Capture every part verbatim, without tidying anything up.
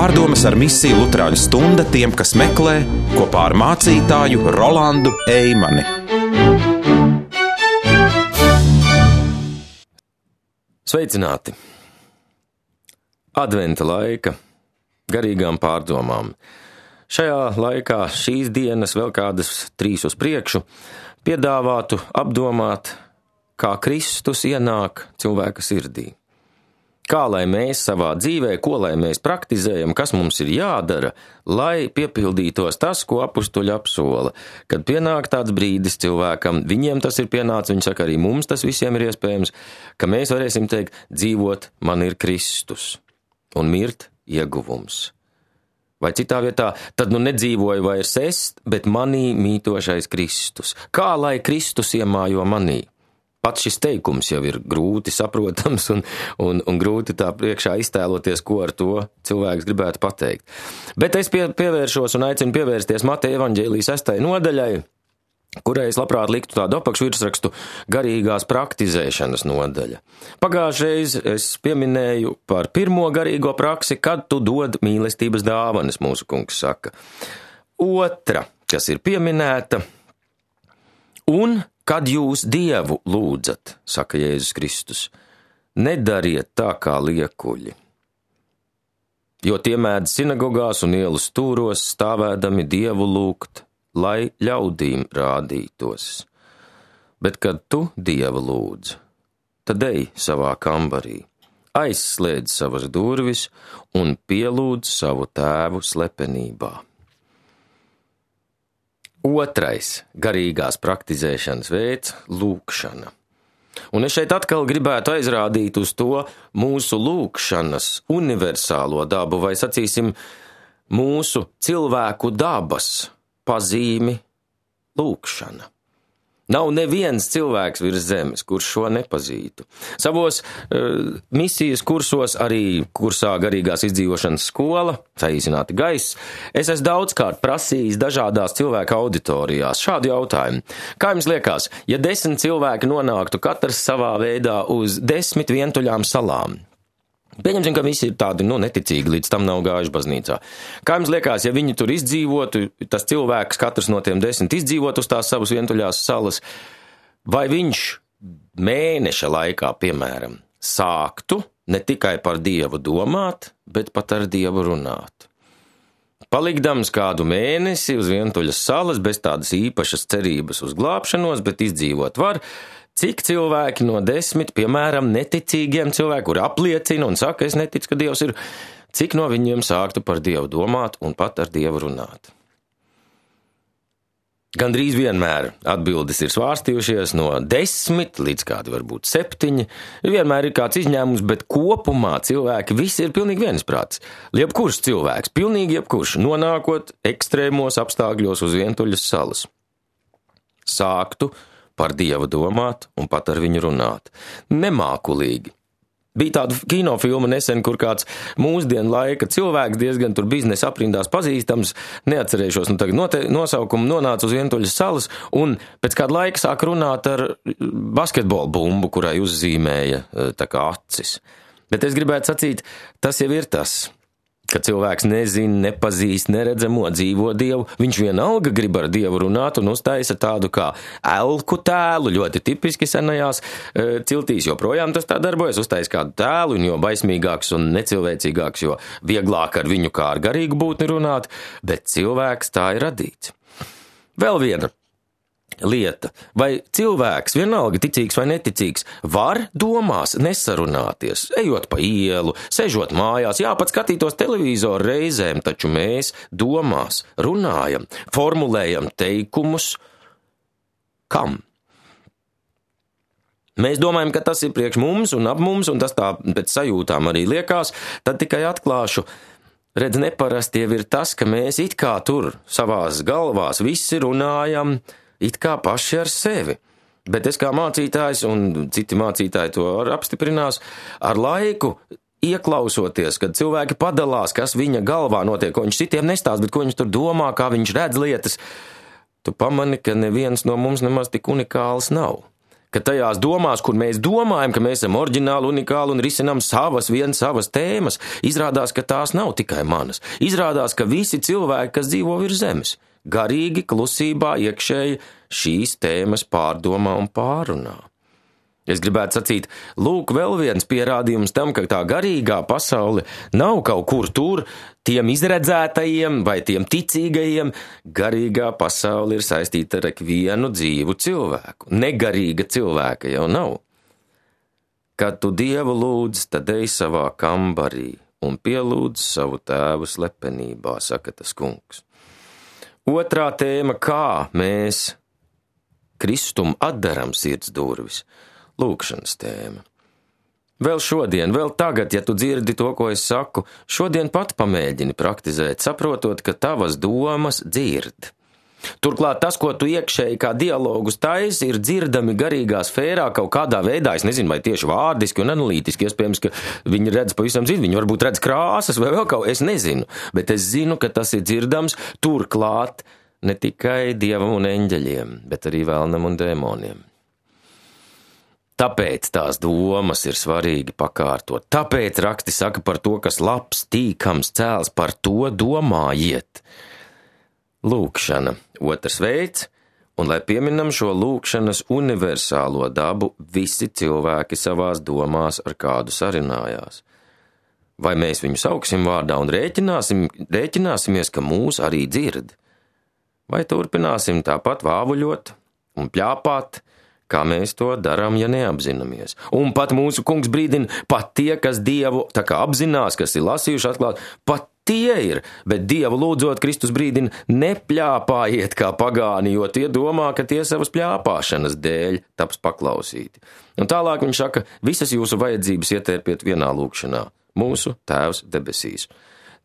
Pārdomas ar misiju Luterāņu stunda tiem, kas meklē, kopā ar mācītāju Rolandu Eimani. Sveicināti! Adventa laika garīgām pārdomām. Šajā laikā šīs dienas vēl kādas trīs uz priekšu piedāvātu apdomāt, kā Kristus ienāk cilvēka sirdī. Kā lai mēs savā dzīvē, ko lai mēs praktizējam, kas mums ir jādara, lai piepildītos tas, ko apustuļi apsola. Kad pienāk tāds brīdis cilvēkam, viņiem tas ir pienācis, viņi saka, arī mums tas visiem ir iespējams, ka mēs varēsim teikt, dzīvot man ir Kristus un mirt ieguvums. Vai citā vietā, tad nu nedzīvoju vairs es, bet manī mītošais Kristus. Kā lai Kristus iemājo manī? Pats šis teikums jau ir grūti saprotams un, un, un grūti tā priekšā iztēloties, ko ar to cilvēks gribētu pateikt. Bet es pie, pievēršos un aicinu pievērsties Mateja evaņģēlijas sestajai nodaļai, kurai es labprāt liktu tādu apakšvirsrakstu garīgās praktizēšanas nodaļa. Pagājušreiz es pieminēju par pirmo garīgo praksi, kad tu dod mīlestības dāvanas, mūsu kungs saka. Otra, kas ir pieminēta, un kad jūs Dievu lūdzat, saka Jēzus Kristus, nedariet tā kā liekuļi, jo tie mēdz sinagogās un ielu stūros stāvēdami Dievu lūgt, lai ļaudīm rādītos. Bet kad tu Dievu lūdz, tad ej savā kambarī, aizslēdz savas durvis un pielūdz savu tēvu slepenībā. Otrais garīgās praktizēšanas veids – lūkšana. Un es šeit atkal gribētu aizrādīt uz to mūsu lūkšanas universālo dabu, vai sacīsim, mūsu cilvēku dabas pazīmi lūkšana. Nav neviens cilvēks virs zemes, kurš šo nepazītu. Savos uh, misijas kursos, arī kursā garīgās izdzīvošanas skola, saīsināti gaiss, es esmu daudzkārt prasījis dažādās cilvēku auditorijās šādu jautājumu. Kā jums liekas, ja desmit cilvēki nonāktu katrs savā veidā uz desmit vientuļām salām? Pieņemsim, ka visi ir tādi, nu, neticīgi, līdz tam nav gājuši baznīcā. Kā jums liekas, ja viņi tur izdzīvotu, tas cilvēks, katrs no tiem desmit izdzīvotu uz tās savas vientuļās salas, vai viņš mēneša laikā, piemēram, sāktu ne tikai par Dievu domāt, bet pat ar Dievu runāt? Palikdams kādu mēnesi uz vientuļas salas, bez tādas īpašas cerības uz glābšanos, bet izdzīvot var, cik cilvēki no desmit, piemēram, neticīgiem cilvēkiem, kuri apliecina un saka, es neticu, ka Dievs ir, cik no viņiem sāktu par Dievu domāt un pat ar Dievu runāt? Gandrīz vienmēr atbildes ir svārstījušies no desmit līdz kādi varbūt septiņi. Vienmēr ir kāds izņēmums, bet kopumā cilvēki visi ir pilnīgi viensprātis. Jebkurš cilvēks, pilnīgi jebkurš, nonākot ekstrēmos apstākļos uz vientuļas salas, sāktu par Dievu domāt un pat ar viņu runāt. Nemākulīgi. Bija tāda kinofilma nesen, kur kāds mūsdienu laika cilvēks diezgan tur biznesa aprindās pazīstams, neatcerēšos, nu tagad note, nosaukumu, nonāca uz vientuļas salas un pēc kāda laika sāk runāt ar basketbola bumbu, kurai uzzīmēja tā kā acis. Bet es gribētu sacīt, tas jau ir tas, ka cilvēks nezina, nepazīst, neredzamo, dzīvo Dievu, viņš vienalga grib ar Dievu runāt un uztaisa tādu kā elku tēlu, ļoti tipiski senajās e, ciltīs, joprojām tas tā darbojas, uztaisa kādu tēlu, un jo baismīgāks un necilvēcīgāks, jo vieglāk ar viņu kā ar garīgu būtni runāt, bet cilvēks tā ir radīts. Vēl viena lieta, vai cilvēks, vienalga ticīgs vai neticīgs, var domās nesarunāties, ejot pa ielu, sežot mājās, jā, pat skatītos televizoru reizēm, taču mēs domās runājam, formulējam teikumus, kam? Mēs domājam, ka tas ir priekš mums un ap mums, un tas tā pēc sajūtām arī liekas, tad tikai atklāšu, redz, neparasti jau ir tas, ka mēs it kā tur savās galvās visi runājam, it kā paši ar sevi. Bet es kā mācītājs, un citi mācītāji to apstiprinās, ar laiku ieklausoties, kad cilvēki padalās, kas viņa galvā notiek, ko viņš citiem nestāst, bet ko viņš tur domā, kā viņš redz lietas, tu pamani, ka neviens no mums nemaz tik unikāls nav. ka tajās domās, kur mēs domājam, ka mēs esam oriģināli, unikāli un risinām savas, viens savas tēmas, izrādās, ka tās nav tikai manas. Izrādās, ka visi cilvēki, kas dzīvo virs zemes, garīgi, klusībā, iekšēji šīs tēmas pārdomā un pārunā. Es gribētu sacīt, lūk, vēl viens pierādījums tam, ka tā garīgā pasaule nav kaut kur tur, tiem izredzētajiem vai tiem ticīgajiem. Garīgā pasaule ir saistīta ar ikvienu dzīvu cilvēku. Negarīga cilvēka jau nav. Kad tu Dievu lūdz, tad ej savā kambarī un pielūdz savu tēvu slepenībā, saka tas kungs. Otrā tēma, kā mēs Kristum atdaram sirds durvis. Lūkšanas tēma. Vēl šodien, vēl tagad, ja tu dzirdi to, ko es saku, šodien pat pamēģini praktizēt, saprotot, ka tavas domas dzird. Turklāt tas, ko tu iekšēji kā dialogus taisi, ir dzirdami garīgā sfērā kaut kādā veidā, es nezinu, vai tieši vārdiski un analītiski, iespējams, ka viņi redz pavisam citu, viņi varbūt redz krāsas vai vēl kaut, es nezinu, bet es zinu, ka tas ir dzirdams turklāt ne tikai dievam un eņģeļiem, bet arī vēlnam un dēmoniem. Tāpēc tās domas ir svarīgi pakārtot. Tāpēc raksti saka par to, kas labs, tīkams, cēls, par to domājiet. Lūkšana, otrs veids, un lai pieminam šo lūkšanas universālo dabu, visi cilvēki savās domās ar kādu sarinājās. Vai mēs viņu sauksim vārdā un rēķināsim, rēķināsimies, ka mūs arī dzird? Vai turpināsim tāpat vāvuļot un pļāpāt, kā mēs to darām, ja neapzināmies. Un pat mūsu kungs brīdina, pat tie, kas Dievu tā kā apzinās, kas ir lasījuši atklāt, pat tie ir, bet Dievu lūdzot Kristus brīdina, nepļāpājiet kā pagāni, jo tie domā, ka tie savas pļāpāšanas dēļ taps paklausīti. Un tālāk viņš saka, visas jūsu vajadzības ietērpiet vienā lūkšanā. Mūsu Tēvs debesīs.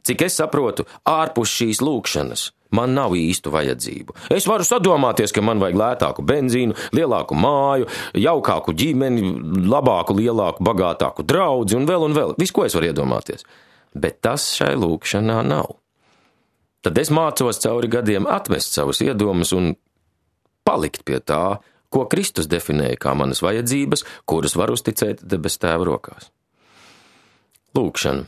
Cik es saprotu, ārpus šīs lūkšanas man nav īstu vajadzību. Es varu sadomāties, ka man vajag lētāku benzīnu, lielāku māju, jaukāku ģimeni, labāku, lielāku, bagātāku draudzi un vēl un vēl. Viss, ko es varu iedomāties. Bet tas šai lūkšanā nav. Tad es mācos cauri gadiem atmest savus iedomus un palikt pie tā, ko Kristus definēja kā manas vajadzības, kuras var uzticēt debes Tēva rokās. Lūkšana.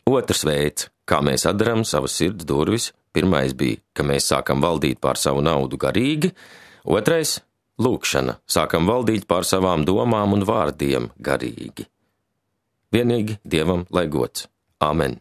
Otrs veids, kā mēs atdaram savas sirds durvis. Pirmais bija, ka mēs sākam valdīt pār savu naudu garīgi. Otrais – lūkšana. Sākam valdīt pār savām domām un vārdiem garīgi. Vienīgi Dievam lai gods. Āmen.